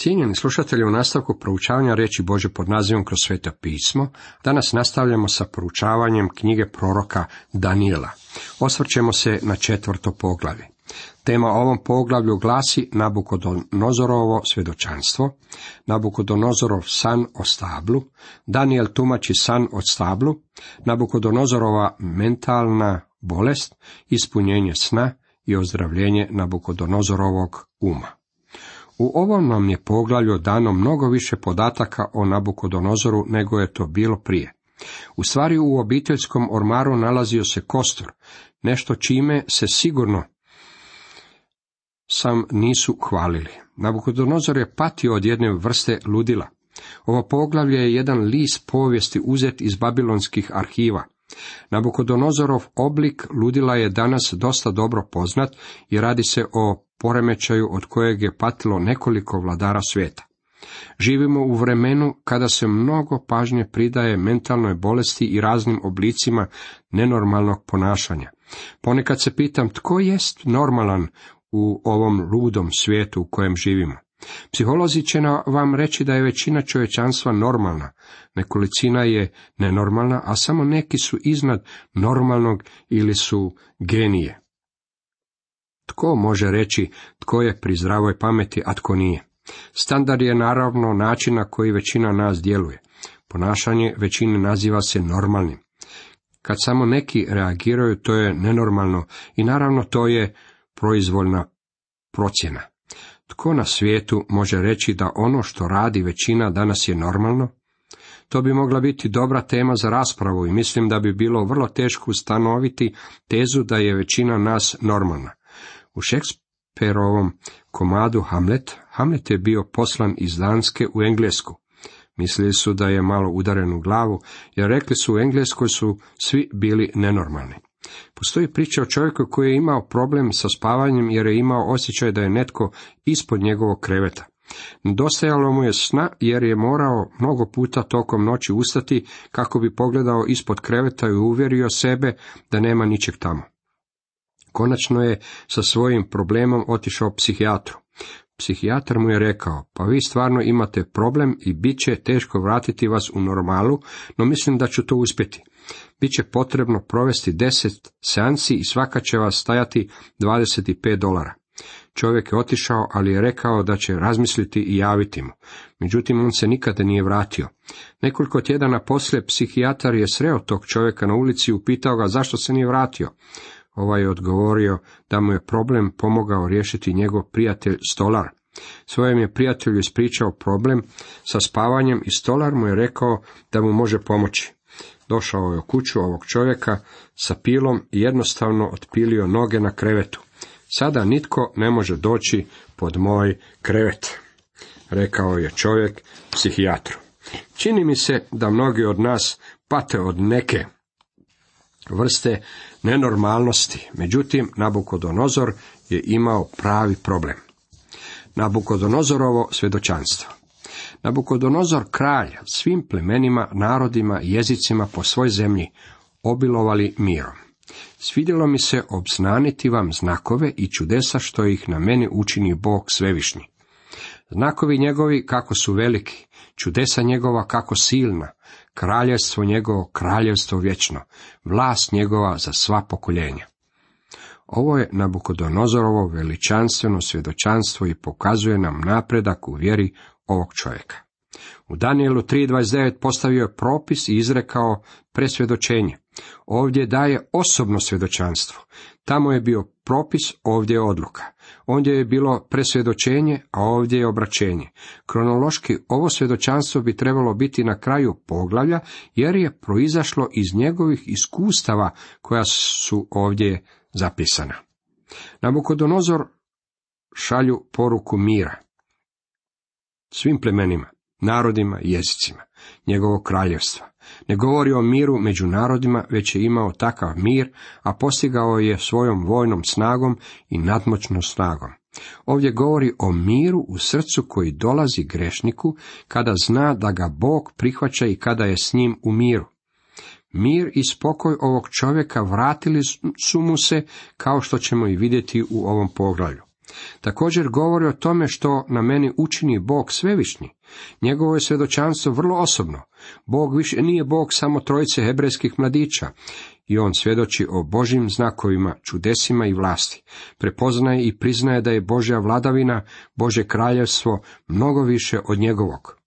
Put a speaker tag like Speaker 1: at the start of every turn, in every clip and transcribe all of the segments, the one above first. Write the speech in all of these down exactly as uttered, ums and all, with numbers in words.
Speaker 1: Cijenjeni slušatelji, u nastavku proučavanja riječi Božje pod nazivom Kroz sveto pismo, danas nastavljamo sa proučavanjem knjige proroka Danijela. Osvrćemo se na četvrto poglavlje. Tema ovom poglavlju glasi Nabukodonozorovo svjedočanstvo, Nabukodonozorov san o stablu, Danijel tumači san o stablu, Nabukodonozorova mentalna bolest, ispunjenje sna i ozdravljenje Nabukodonozorovog uma. U ovom nam je poglavlju dano mnogo više podataka o Nabukodonozoru nego je to bilo prije. U stvari u obiteljskom ormaru nalazio se kostur, nešto čime se sigurno sam nisu hvalili. Nabukodonozor je patio od jedne vrste ludila. Ovo poglavlje je jedan list povijesti uzet iz babilonskih arhiva. Nabukodonozorov oblik ludila je danas dosta dobro poznat i radi se o poremećaju od kojeg je patilo nekoliko vladara svijeta. Živimo u vremenu kada se mnogo pažnje pridaje mentalnoj bolesti i raznim oblicima nenormalnog ponašanja. Ponekad se pitam tko jest normalan u ovom ludom svijetu u kojem živimo. Psiholozi će vam reći da je većina čovječanstva normalna, nekolicina je nenormalna, a samo neki su iznad normalnog ili su genije. Tko može reći tko je pri zdravoj pameti, a tko nije? Standard je naravno način na koji većina nas djeluje. Ponašanje većine naziva se normalnim. Kad samo neki reagiraju, to je nenormalno i naravno to je proizvoljna procjena. Tko na svijetu može reći da ono što radi većina danas je normalno? To bi mogla biti dobra tema za raspravu i mislim da bi bilo vrlo teško ustanoviti tezu da je većina nas normalna. U Šekspirovom komadu Hamlet, Hamlet je bio poslan iz Danske u Englesku. Mislili su da je malo udaren u glavu, jer rekli su u Engleskoj su svi bili nenormalni. Postoji priča o čovjeku koji je imao problem sa spavanjem jer je imao osjećaj da je netko ispod njegovog kreveta. Nedostajalo mu je sna jer je morao mnogo puta tokom noći ustati kako bi pogledao ispod kreveta i uvjerio sebe da nema ničeg tamo. Konačno je sa svojim problemom otišao psihijatru. Psihijatar mu je rekao, pa vi stvarno imate problem i bit će teško vratiti vas u normalu, no mislim da ću to uspjeti. Biće potrebno provesti deset seansi i svaka će vas stajati dvadeset pet dolara. Čovjek je otišao, ali je rekao da će razmisliti i javiti mu. Međutim, on se nikada nije vratio. Nekoliko tjedana poslije psihijatar je sreo tog čovjeka na ulici i upitao ga zašto se nije vratio. Ovaj je odgovorio da mu je problem pomogao riješiti njegov prijatelj stolar. Svojem je prijatelju ispričao problem sa spavanjem i stolar mu je rekao da mu može pomoći. Došao je u kuću ovog čovjeka sa pilom i jednostavno otpilio noge na krevetu. Sada nitko ne može doći pod moj krevet, rekao je čovjek psihijatru. Čini mi se da mnogi od nas pate od neke vrste nenormalnosti, međutim Nabukodonozor je imao pravi problem. Nabukodonozorovo svjedočanstvo. Nabukodonozor kralj svim plemenima, narodima i jezicima po svoj zemlji obilovali mirom. Svidjelo mi se obznaniti vam znakove i čudesa što ih na meni učini Bog svevišnji. Znakovi njegovi kako su veliki, čudesa njegova kako silna, kraljevstvo njegovo kraljevstvo vječno, vlast njegova za sva pokoljenja. Ovo je Nabukodonozorovo veličanstveno svjedočanstvo i pokazuje nam napredak u vjeri ovog čovjeka. U Danijelu tri dvadeset devet postavio je propis i izrekao presvjedočenje. Ovdje daje osobno svjedočanstvo. Tamo je bio propis, ovdje je odluka. Ondje je bilo presvjedočenje, a ovdje je obraćenje. Kronološki ovo svjedočanstvo bi trebalo biti na kraju poglavlja, jer je proizašlo iz njegovih iskustava koja su ovdje zapisana. Nabukodonozor šalju poruku mira svim plemenima, narodima i jezicima njegovog kraljevstva. Ne govori o miru među narodima, već je imao takav mir, a postigao je svojom vojnom snagom i nadmoćnom snagom. Ovdje govori o miru u srcu koji dolazi grešniku kada zna da ga Bog prihvaća i kada je s njim u miru. Mir i spokoj ovog čovjeka vratili su mu se, kao što ćemo i vidjeti u ovom poglavlju. Također govori o tome što na meni učini Bog svevišnji. Njegovo je svjedočanstvo vrlo osobno. Bog više nije Bog samo trojice hebrejskih mladića. I on svjedoči o Božjim znakovima, čudesima i vlasti. Prepoznaje i priznaje da je Božja vladavina, Božje kraljevstvo mnogo više od njegovog.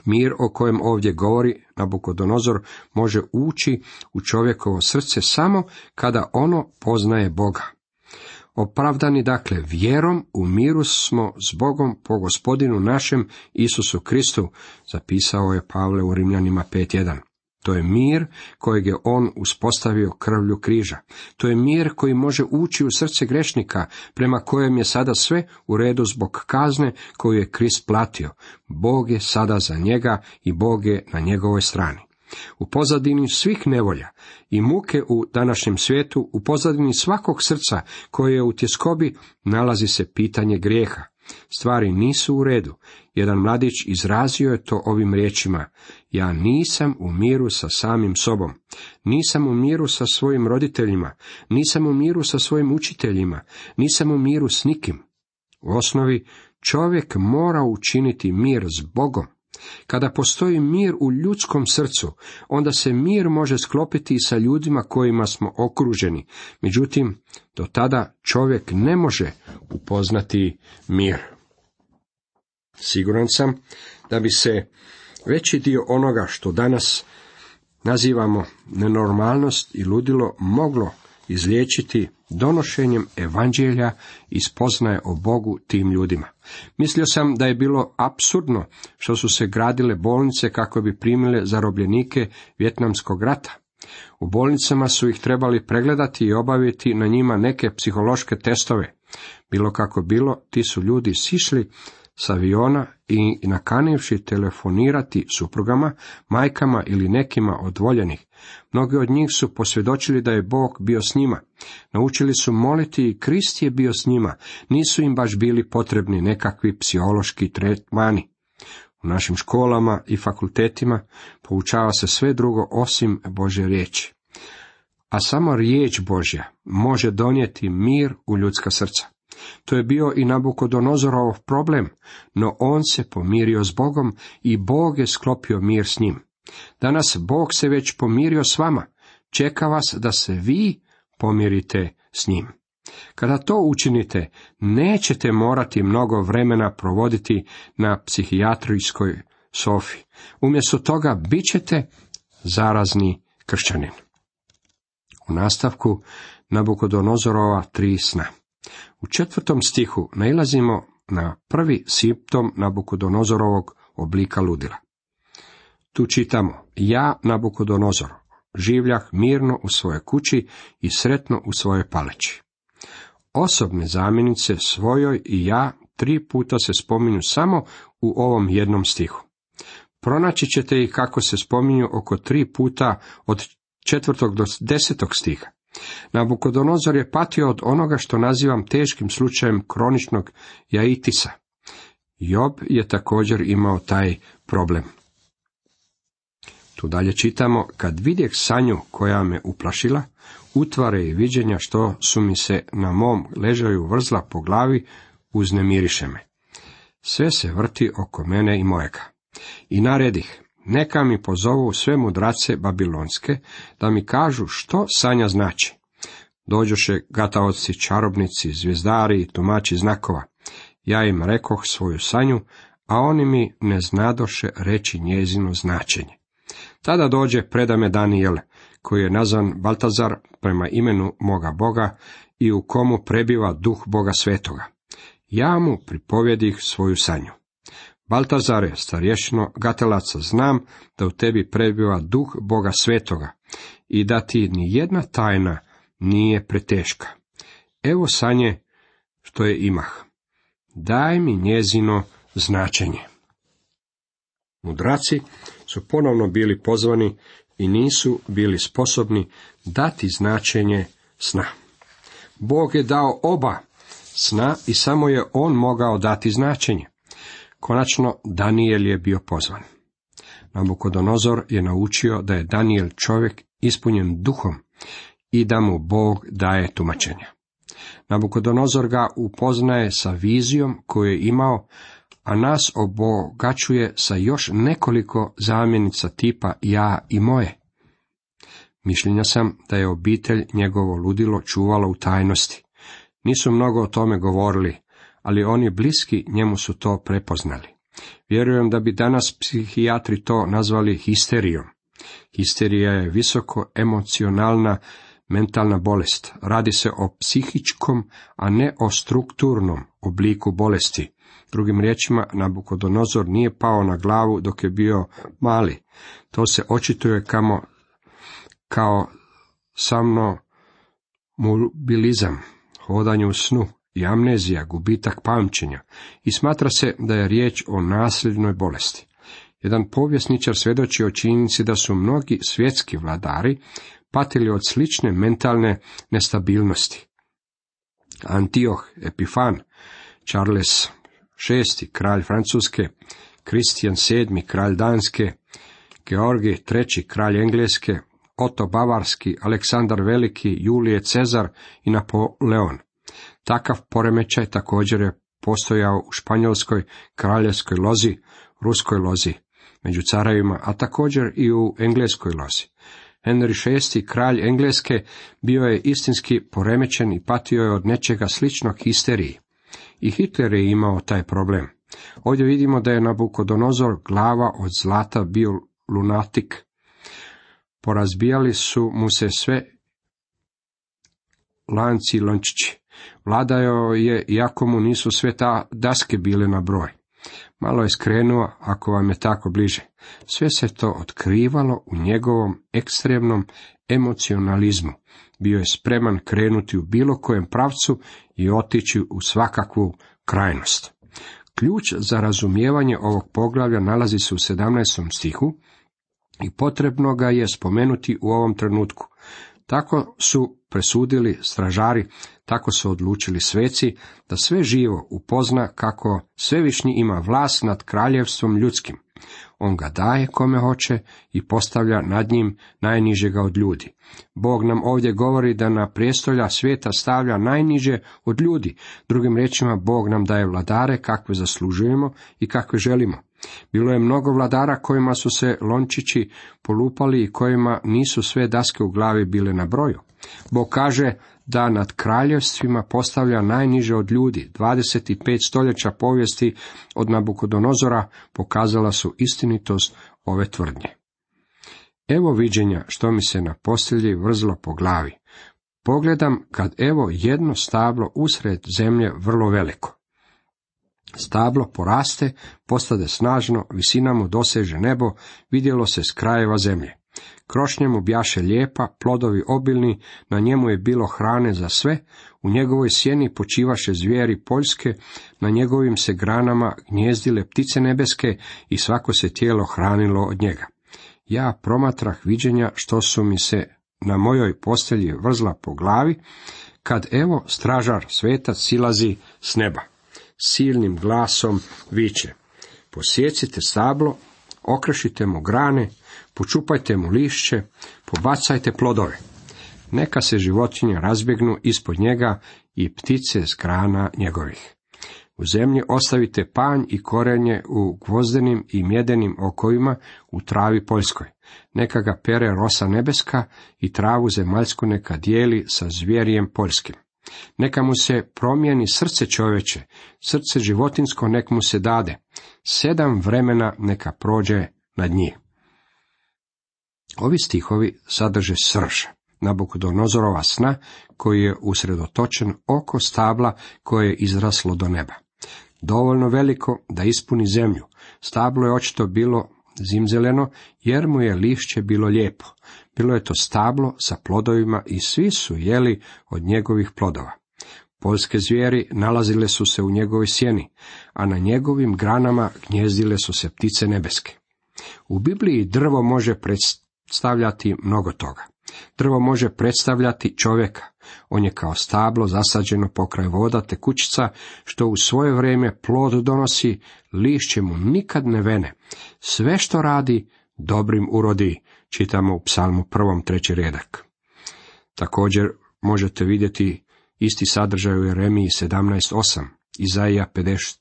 Speaker 1: Mir o kojem ovdje govori Nabukodonozor može ući u čovjekovo srce samo kada ono poznaje Boga. Opravdani dakle vjerom u miru smo s Bogom po Gospodinu našem Isusu Kristu, zapisao je Pavle u Rimljanima pet jedan. To je mir kojeg je on uspostavio krvlju križa. To je mir koji može ući u srce grešnika, prema kojem je sada sve u redu zbog kazne koju je Krist platio. Bog je sada za njega i Bog je na njegovoj strani. U pozadini svih nevolja i muke u današnjem svijetu, u pozadini svakog srca koje je u tjeskobi, nalazi se pitanje grijeha. Stvari nisu u redu. Jedan mladić izrazio je to ovim riječima: ja nisam u miru sa samim sobom, nisam u miru sa svojim roditeljima, nisam u miru sa svojim učiteljima, nisam u miru s nikim. U osnovi čovjek mora učiniti mir s Bogom. Kada postoji mir u ljudskom srcu, onda se mir može sklopiti i sa ljudima kojima smo okruženi. Međutim, do tada čovjek ne može upoznati mir. Siguran sam da bi se veći dio onoga što danas nazivamo nenormalnost i ludilo moglo izliječiti donošenjem evanđelja i spoznaje o Bogu tim ljudima. Mislio sam da je bilo apsurdno što su se gradile bolnice kako bi primile zarobljenike Vijetnamskog rata. U bolnicama su ih trebali pregledati i obaviti na njima neke psihološke testove. Bilo kako bilo, ti su ljudi sišli s aviona i nakanivši telefonirati suprugama, majkama ili nekima od voljenih. Mnogi od njih su posvjedočili da je Bog bio s njima. Naučili su moliti i Krist je bio s njima. Nisu im baš bili potrebni nekakvi psihološki tretmani. U našim školama i fakultetima poučava se sve drugo osim Božje riječi. A samo riječ Božja može donijeti mir u ljudska srca. To je bio i Nabukodonozorov problem, no on se pomirio s Bogom i Bog je sklopio mir s njim. Danas Bog se već pomirio s vama, čeka vas da se vi pomirite s njim. Kada to učinite, nećete morati mnogo vremena provoditi na psihijatrijskoj sofi. Umjesto toga bit ćete zarazni kršćanin. U nastavku Nabukodonozorova tri sna. U četvrtom stihu nailazimo na prvi simptom Nabukodonozorovog oblika ludila. Tu čitamo: ja, Nabukodonozor, življah mirno u svojoj kući i sretno u svojoj paleći. Osobne zamjenice svojoj i ja tri puta se spominju samo u ovom jednom stihu. Pronaći ćete ih kako se spominju oko tri puta od četvrtog do desetog stiha. Nabukodonozor je patio od onoga što nazivam teškim slučajem kroničnog jaitisa. Job je također imao taj problem. Tu dalje čitamo: kad vidjeh sanju koja me uplašila, utvare i viđenja što su mi se na mom ležaju vrzla po glavi, uznemiriše me. Sve se vrti oko mene i mojega. I naredih: neka mi pozovu sve mudrace babilonske, da mi kažu što sanja znači. Dođoše gataoci, čarobnici, zvijezdari i tumači znakova. Ja im rekoh svoju sanju, a oni mi ne znadoše reći njezino značenje. Tada dođe preda me Danijel, koji je nazvan Baltazar prema imenu moga Boga i u komu prebiva duh Boga svetoga. Ja mu pripovjedih svoju sanju. Baltazare, starješino gatelaca, znam da u tebi prebiva duh Boga svetoga i da ti ni jedna tajna nije preteška. Evo sanje što je imah. Daj mi njezino značenje. Mudraci su ponovno bili pozvani i nisu bili sposobni dati značenje sna. Bog je dao oba sna i samo je on mogao dati značenje. Konačno, Danijel je bio pozvan. Nabukodonozor je naučio da je Danijel čovjek ispunjen duhom i da mu Bog daje tumačenja. Nabukodonozor ga upoznaje sa vizijom koju je imao, a nas obogaćuje sa još nekoliko zamjenica tipa ja i moje. Mišljenja sam da je obitelj njegovo ludilo čuvala u tajnosti. Nisu mnogo o tome govorili, ali oni bliski njemu su to prepoznali. Vjerujem da bi danas psihijatri to nazvali histerijom. Histerija je visoko emocionalna mentalna bolest. Radi se o psihičkom, a ne o strukturnom obliku bolesti. Drugim riječima, Nabukodonozor nije pao na glavu dok je bio mali. To se očituje kamo, kao somnomobilizam, hodanje u snu i amnezija, gubitak pamćenja, i smatra se da je riječ o nasljednoj bolesti. Jedan povjesničar svjedoči o činjenici da su mnogi svjetski vladari patili od slične mentalne nestabilnosti. Antioh Epifan, Charles šesti, kralj Francuske, Kristijan sedmi, kralj Danske, Georgij treći, kralj Engleske, Oto Bavarski, Aleksandar Veliki, Julije Cezar i Napoleon. Takav poremećaj također je postojao u španjolskoj kraljevskoj lozi, ruskoj lozi, među carevima, a također i u engleskoj lozi. Henry šesti, kralj Engleske, bio je istinski poremećen i patio je od nečega sličnog histeriji. I Hitler je imao taj problem. Ovdje vidimo da je Nabukodonozor, glava od zlata, bio lunatik. Porazbijali su mu se sve lanci i lončići. Vladao je, iako mu nisu sve ta daske bile na broj. Malo je skrenuo, ako vam je tako bliže. Sve se to otkrivalo u njegovom ekstremnom emocionalizmu. Bio je spreman krenuti u bilo kojem pravcu i otići u svakakvu krajnost. Ključ za razumijevanje ovog poglavlja nalazi se u sedamnaestom stihu i potrebno ga je spomenuti u ovom trenutku. Tako su presudili stražari, tako su odlučili sveci, da sve živo upozna kako svevišnji ima vlast nad kraljevstvom ljudskim. On ga daje kome hoće i postavlja nad njim najnižega od ljudi. Bog nam ovdje govori da na prijestolja svijeta stavlja najniže od ljudi. Drugim riječima, Bog nam daje vladare kakve zaslužujemo i kakve želimo. Bilo je mnogo vladara kojima su se lončići polupali i kojima nisu sve daske u glavi bile na broju. Bog kaže da nad kraljevstvima postavlja najniže od ljudi. dvadeset pet stoljeća povijesti od Nabukodonozora pokazala su istinitost ove tvrdnje. Evo viđenja što mi se na postelji vrzlo po glavi. Pogledam kad evo jedno stablo usred zemlje vrlo veliko. Stablo poraste, postade snažno, visina mu doseže nebo, vidjelo se s krajeva zemlje. Krošnja mu bjaše lijepa, plodovi obilni, na njemu je bilo hrane za sve, u njegovoj sjeni počivaše zvijeri poljske, na njegovim se granama gnjezdile ptice nebeske i svako se tijelo hranilo od njega. Ja promatrah viđenja što su mi se na mojoj postelji vrzla po glavi, kad evo stražar svetac silazi s neba. Silnim glasom viče: posjecite stablo, okrešite mu grane, počupajte mu lišće, pobacajte plodove. Neka se životinje razbjegnu ispod njega i ptice s grana njegovih. U zemlji ostavite panj i korenje u gvozdenim i mjedenim okovima u travi poljskoj. Neka ga pere rosa nebeska i travu zemaljsku neka dijeli sa zvijerijem poljskim. Neka mu se promijeni srce čovječe, srce životinsko nek mu se dade. Sedam vremena neka prođe nad njih. Ovi stihovi sadrže srž Nabukodonozorova sna koji je usredotočen oko stabla koje je izraslo do neba. Dovoljno veliko da ispuni zemlju. Stablo je očito bilo zimzeleno jer mu je lišće bilo lijepo. Bilo je to stablo sa plodovima i svi su jeli od njegovih plodova. Poljske zvijeri nalazile su se u njegovoj sjeni, a na njegovim granama gnjezdile su se ptice nebeske. U Bibliji drvo može predstavljati mnogo toga. Drvo može predstavljati čovjeka. On je kao stablo zasađeno pokraj voda te kućica, što u svoje vrijeme plod donosi, lišće mu nikad ne vene. Sve što radi, dobrim urodi, čitamo u Psalmu prvom treći redak. Također možete vidjeti Isti sadržaj u Jeremiji sedamnaest osam, Izaija pedeset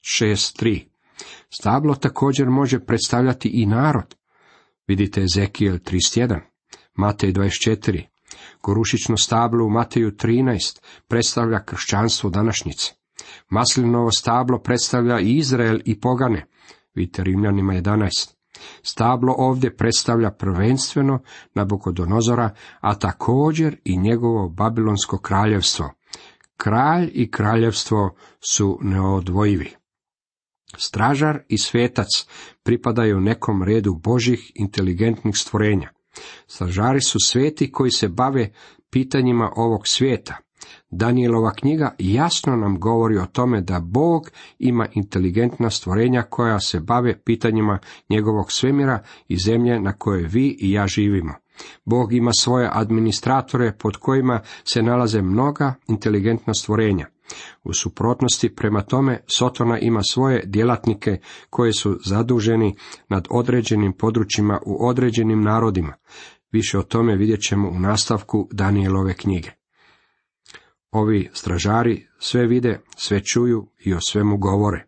Speaker 1: šest tri. Stablo također može predstavljati i narod. Vidite Ezekijel trideset jedan, Matej dvadeset četiri. Gorušično stablo u Mateju trinaest predstavlja kršćanstvo današnjice. Maslinovo stablo predstavlja i Izrael i pogane. Vidite Rimljanima jedanaest. Stablo ovdje predstavlja prvenstveno Nabukodonozora, a također i njegovo babilonsko kraljevstvo. Kralj i kraljevstvo su neodvojivi. Stražar i svetac pripadaju nekom redu božjih inteligentnih stvorenja. Stražari su sveti koji se bave pitanjima ovog svijeta. Danijelova knjiga jasno nam govori o tome da Bog ima inteligentna stvorenja koja se bave pitanjima njegovog svemira i zemlje na kojoj vi i ja živimo. Bog ima svoje administratore pod kojima se nalaze mnoga inteligentna stvorenja. U suprotnosti prema tome, Sotona ima svoje djelatnike koji su zaduženi nad određenim područjima u određenim narodima. Više o tome vidjet ćemo u nastavku Danijelove knjige. Ovi stražari sve vide, sve čuju i o svemu govore.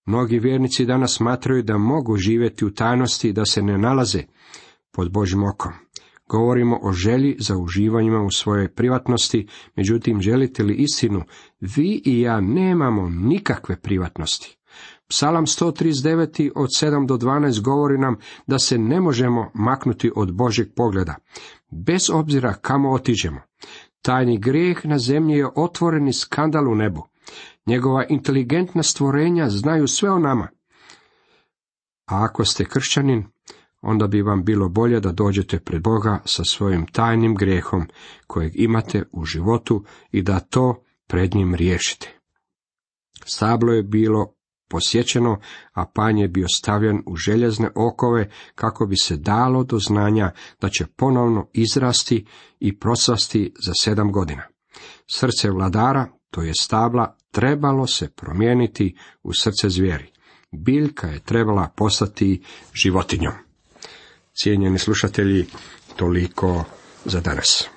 Speaker 1: Mnogi vjernici danas smatraju da mogu živjeti u tajnosti i da se ne nalaze pod Božjim okom. Govorimo o želji za uživanjima u svojoj privatnosti, međutim želite li istinu, vi i ja nemamo nikakve privatnosti. Psalam sto trideset devet od sedam do dvanaest govori nam da se ne možemo maknuti od Božjeg pogleda, bez obzira kamo otiđemo. Tajni grijeh na zemlji je otvoreni skandal u nebu. Njegova inteligentna stvorenja znaju sve o nama. A ako ste kršćanin, onda bi vam bilo bolje da dođete pred Boga sa svojim tajnim grijehom kojeg imate u životu i da to pred njim riješite. Stablo je bilo posjećeno, a panj je bio stavljen u željezne okove kako bi se dalo do znanja da će ponovno izrasti i procvasti za sedam godina. Srce vladara, to je stabla, trebalo se promijeniti u srce zvijeri. Biljka je trebala postati životinjom. Cijenjeni slušatelji, toliko za danas.